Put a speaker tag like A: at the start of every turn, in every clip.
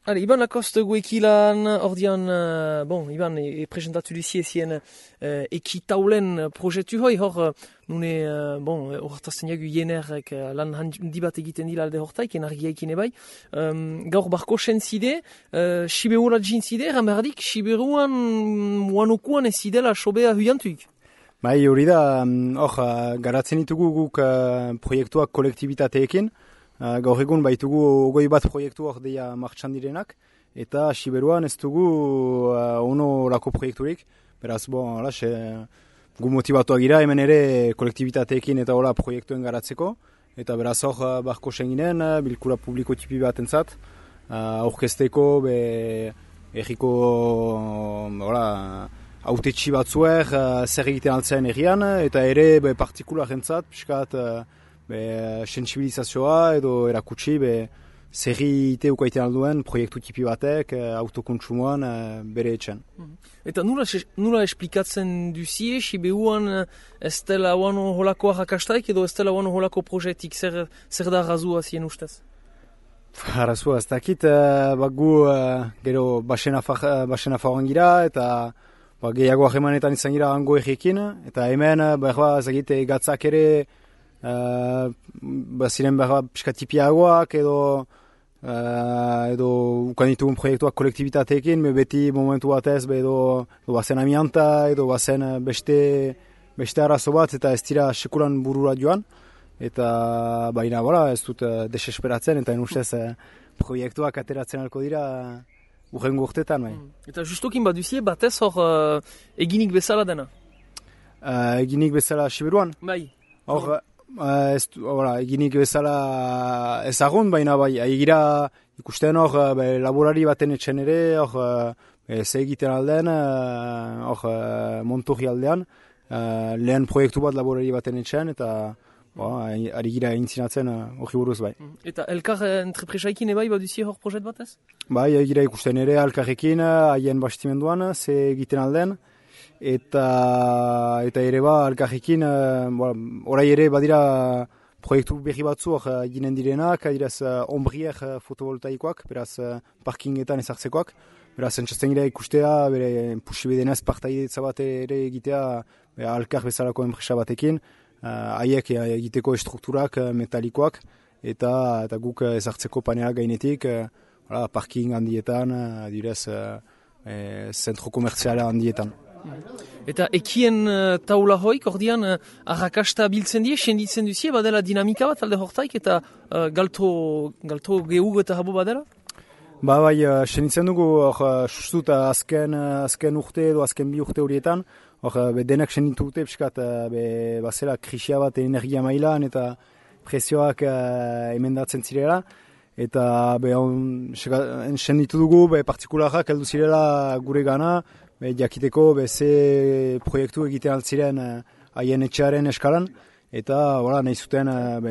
A: Iban Lacoste goekilan ordian, Iban presentatu duzie zien ekitaulen proiektu hoi, hor nune, hortazten jagu jenerrek lan handi bat egiten dila alde hortaik, enargiaikin ebai. Gaur barko zide, Siberuan jintzide, ramerdik, Siberuan muanokuan ez zidela sobea huiantuik.
B: Bai, hori da, garatzen ditugu guk proiektuak kolektibitateekin. Gaur egun baitugu 20 proiektu hor deia martxan direnak, eta Siberuan ez dugu ono lako proiekturik. Beraz, gu motibatuak gira hemen ere kolektibitateekin eta hola proiektuen garatzeko. Eta beraz hor barko senginen, bilkura publiko tipi bat entzat, aurkezteko erriko autetxi batzuek zer egiten altzen errian, eta ere partikular entzat, piskat, sensibilizazioa edo erakutsi zerri ite ukaiten alduen proiektu tipi batek autokontsumoan bere etxen.
A: Eta nula esplikatzen duzie, Siberuan ez dela oano holako arrakastaik edo ez dela oano holako proiektik, zer da razua zien ustez?
B: Razua ez dakit, gu gero basen afagoan gira eta gehiago ahemanetan izan gira hango errekin, eta hemen gatzak ere ziren pixka tipiagoak edo ukan ditugun proiektuak kolektibitateekin, beti momentu batez edo bazen amianta edo bazen beste arazo bat eta ez dira sekulan burura joan, eta baina ez dut desesperatzen eta ustez proiektuak ateratzen alko dira urrengo urtetan.
A: Eta justokin baduzie batez hor eginik bezala dena?
B: Eginik bezala Siberuan?
A: Bai.
B: Hor, eginik bezala ezagun, baina egira ikusten hor laborari baten etxen ere, hor ze egiten aldean, hor Montorri aldean, lehen proiektu bat laborari baten etxen, eta ari gira intzinatzen hori buruz bai.
A: Eta elkar entrepresaikin ebai baduzie hor proiekt batez?
B: Bai, egira ikusten ere elkarrekin, haien bastimenduan, ze egiten aldean, eta ere elkarrekin, orai ere badira proiektu berri batzu ginen direnak, adiraz ombriek fotovoltaikoak, beraz parkingetan ezartzekoak, beraz entzatzen gira ikustea, bere pusibedenez partaidetza bat ere egitea elkar bezalako enpresa batekin, haiek egiteko estrukturak metalikoak, eta guk ezartzeko panelak gainetik, parking handietan, adiraz zentro komertziala handietan.
A: Eta ekien taula hoik, ordian arrakasta biltzen die, senditzen duzie, badela dinamika bat alde hortaik, eta galto gehu eta habo badela?
B: Bai, senditzen dugu, sustut azken urte edo azken 2 urte horietan, denak senditu dute, piskat, bazela krisia bat energia mailan eta prezioak emendatzen zirela, eta senditu dugu, partikularrak heldu zirela gure gana, jakiteko ze proiektu egiten altziren haien etxearen eskalan, eta nahi zuten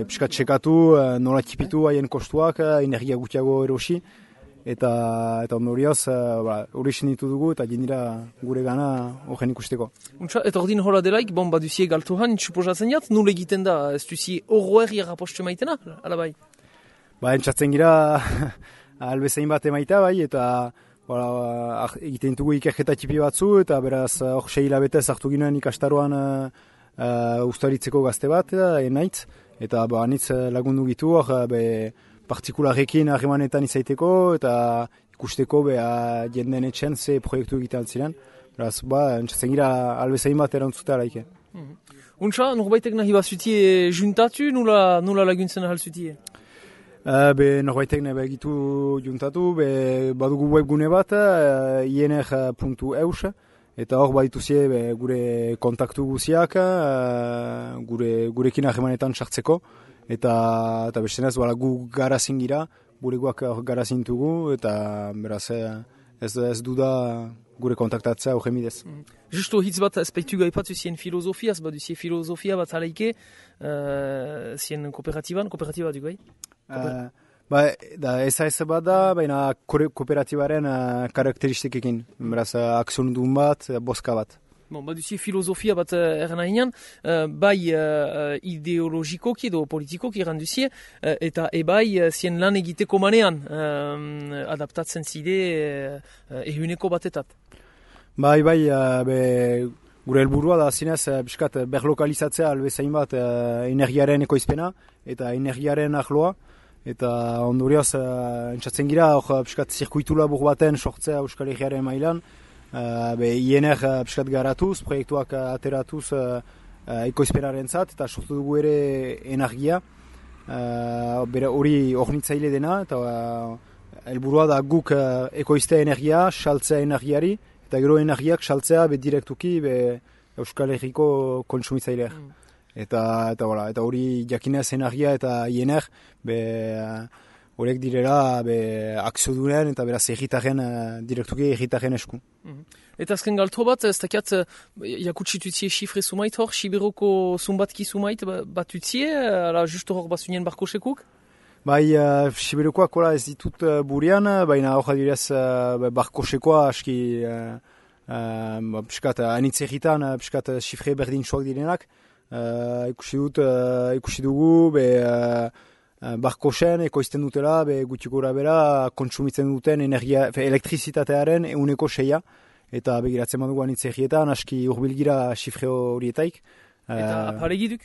B: piskat txekatu, nola tipitu haien kostuak, energia gutiago erosi, eta ondorioz hori senditu dugu eta jendira gure gana horren ikusteko.
A: Eta ordin hola delaik, baduzie galtuhan, suposatzen jat, nule egiten da, ez duzi horroer irrapostu maitena, ala bai?
B: Entzatzen gira albezain bat emaita bai, eta egiten dugu ikerketa tipi batzu, eta beraz hor 6 hilabetez hartu ginen ikastaroan ustaritzeko gazte bat, enaitz, eta anitz lagundu gitu hor partikularekin harremanetan izaiteko, eta ikusteko jenden etxen ze proiektu egiten altziren. Beraz, entzatzen gira albezain bat erantzuta alaike.
A: Untsa, norbaitek nahi bat zutie juntatu, nula laguntzen ahal zutie?
B: Norbaitek nahi begitu juntatu, badugu webgune bat, iner.eus, eta hor badituzie gure kontaktu guziak, gurekin harremanetan sartzeko, eta bestenez gu garazin gira, bureguak garazin dugu, eta beraz ez duda gure kontaktatzea horren bidez.
A: Justo hitz bat aspektu gaipatu zien filosofiaz, baduzie filosofia bat alaike, zien kooperatiba du gai?
B: Ez bat da, baina kooperatibaren karakteristikekin, beraz akziondun bat, boska bat.
A: Bon, baduzie filosofia bat erran ahinean, bai ideologikoki edo politikoki erran duzie, eta ebai zien lan egiteko manean adaptatzen zide ehuneko batetat.
B: Bai, gure helburua da zinez, piskat berlokalizatzea albezain bat energiaren ekoizpena eta energiaren ahloa. Eta ondorioz, entzatzen gira, piskat zirkuitu labur baten sortzea Euskal Herriaren mailan, INR piskat garatuz, proiektuak ateratuz ekoizpenaren zat, eta sortu dugu ere energia, hori ornitzaile dena, eta helburua da guk ekoiztea energia, saltzea energiari, eta gero energiak saltzea direktuki Euskal Herriko kontsumitzaileak. Eta hori jakinez energia eta INR horiek direla akziodunen eta beraz direktuki egitaren esku.
A: Eta azken galto bat, ez dakiat jakutsitutzie xifre sumait hor, Siberoko zumbatki sumait bat utzie, ala justo hor bazunien barkosekuk?
B: Bai, Siberokoak ez ditut burian, baina hor direz barkosekoa aski piskat anitz egitan, piskat xifre berdin soak direnak. Ikusi dugu barkosen ekoizten dutela gutxi gora bera kontsumitzen duten elektrizitatearen 1/6 eta begiratzen badugu anitz egietan aski urbilgira xifre horietaik.
A: Eta aparegiduk?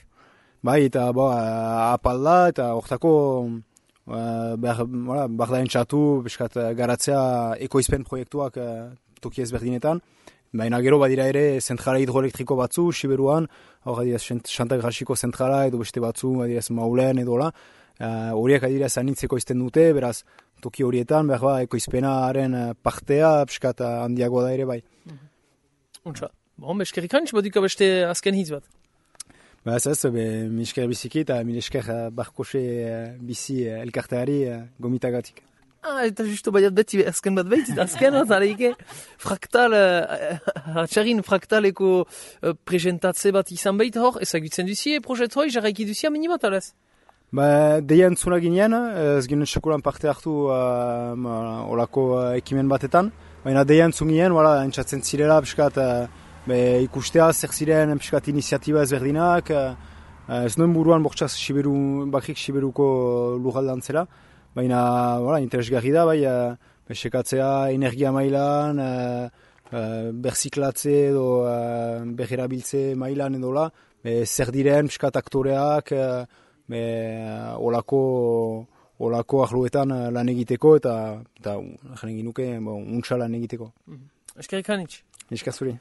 B: Bai, eta apalda eta hortako behar da entxatu garatzea ekoizpen proiektuak toki ezberdinetan. Baina gero badira ere zentrala hidroelektriko batzu, Siberuan, hor adira Xantagrasiko zentrala edo beste batzu, adira Maulen edo la. Horiek adira zanitzeko izten dute, beraz toki horietan, behar ekoizpenaren partea, piskat handiagoa da ere bai.
A: Untsa, eskerrik hanitz, badika beste azken hitz bat?
B: Ez, mi esker biziki eta mi esker barkose bizi elkarteari gomitagatik.
A: Eta justo baiat beti azken bat behitzit, azken bat, aleike, fraktaleko presentatze bat izan behit hor, ezagutzen duzie, projet hoi, jarraiki duzia minimat, alez?
B: Deia entzuna ginean, ez ginen sekulan parte hartu olako ekimen batetan, baina deia entzun ginen, entzatzen zirela, piskat, ikustea, zer ziren, piskat, iniziatiba ezberdinak, ez noen buruan bortxaz bakrik Siberuko lurraldan zela, baina interesgarri da, sekatzea energia mailan, berziklatze edo berrerabiltze mailan edo zer diren piskat aktoreak olako ahloetan lan egiteko eta jaren ginuke untsa lan egiteko.
A: Eskerrik hanitz.
B: Eskazuri.